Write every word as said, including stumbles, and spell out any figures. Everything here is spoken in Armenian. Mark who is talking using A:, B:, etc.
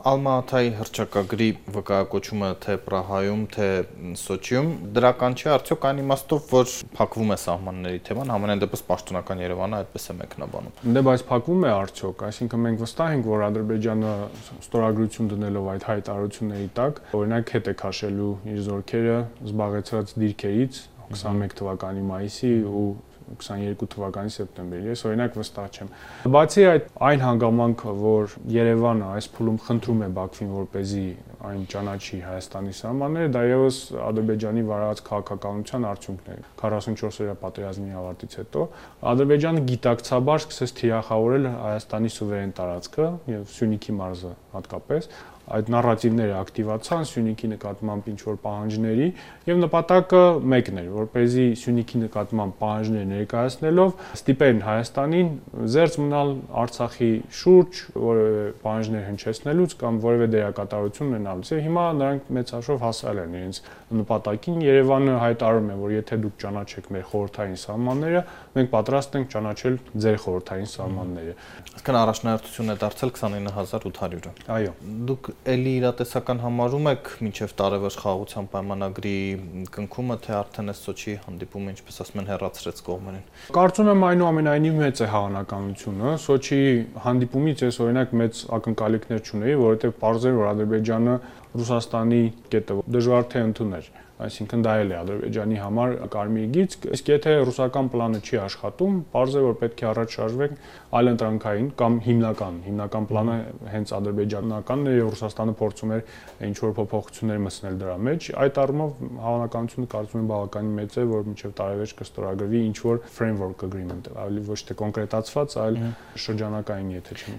A: Ալմա-Աթայի հռչակագրի վկայակոչումը թե Պրահայում, թե Սոչիում դրական չէ, արդյոք այն իմաստով, որ փակվում է սահմանների թեման, համենայն դեպս պաշտոնական Երևանը այդպես է մեկնաբանում։
B: Դե բայց փակվում է արդյոք, այսինքն մենք վստահ ենք, որ Ադրբեջանը ստորագրություն դնելով այդ հայտարարությունների տակ, օրինակ հետ է քաշելու իր զորքերը զբաղեցրած դիրքերից քսաներկու թվականի մայիսի ու քսաներկու թվականի սեպտեմբերի, ես օրինակ վստահ չեմ։ Բացի այդ այն հանգամանքը, որ Երևանը այս փուլում խնդրում է Բաքվին, որպեսզի այն ճանաչի Հայաստանի սահմանները, դա եւս Ադրբեջանի վարած քաղաքականության արդյունքն է։ քառասունչորս-օրյա պատերազմի ավարտից հետո Ադրբեջանը գիտակցաբար սկսեց թիրախավորել Հայաստանի սուվերեն տարածքը եւ Սյունիքի մարզը հատկապես, այդ նարատիվները ակտիվացան Սյունիքի նկատմամբ ինչ-որ պահանջների եւ նպատակը մեկն էր, որպեսզի Սյունիքի նկատմամբ պահանջներ ներկայացնելով ստիպեն Հայաստանին զերծ մնալ Արցախի շուրջ, որևէ պահանջներ հնչեցնելուց կամ որևէ դերակատարություն ունենալուց։ Եվ հիմա նրանք մեծ հաշվով հասել են իրենց նպատակին։ Երևանը հայտարարում է, որ եթե դուք ճանաչեք մեր խորհրդային սահմանները, մենք պատրաստ ենք ճանաչել ձեր խորհրդային սահմանները։
A: Այսինքն առաջնահերթություն է դարձել քսանինը հազար ութ հարյուրը։
B: Այո։
A: Դուք էլի իրատեսական համարում եք մինչև տարեվերջ խաղաղության պայմանագրի կնքումը, թե արդեն այս Սոչիի հանդիպումը, ինչպես ասում են, հեռացրեց կողմերին։
B: Կարծում եմ այնուամենայնիվ մեծ է հավանականությունը։ Սոչիի հանդիպումից ես օրինակ մեծ ակնկալիքներ չունեի, որովհետև պարզ էր, որ Ադրբեջանը Ռուսաստանի կետը դժվար թե ընդուներ։ Այսինքն դա էլ է Ադրբեջանի համար կարմիր գիծ, իսկ եթե ռուսական պլանը չի աշխատում, պարզ է, որ պետք է առաջ շարժվենք այլընտրանքային կամ հիմնական, հիմնական պլանը հենց ադրբեջանականն է եւ Ռուսաստանը փորձում էր ինչ-որ փոփոխություններ մտցնել դրա մեջ, այդ առումով հավանականությունը կարծում եմ բավականին մեծ է, որ մինչեւ տարեվերջ կստորագրվի ինչ-որ framework agreement, ավելի ոչ թե կոնկրետացված, այլ շրջանակային, եթե չեմ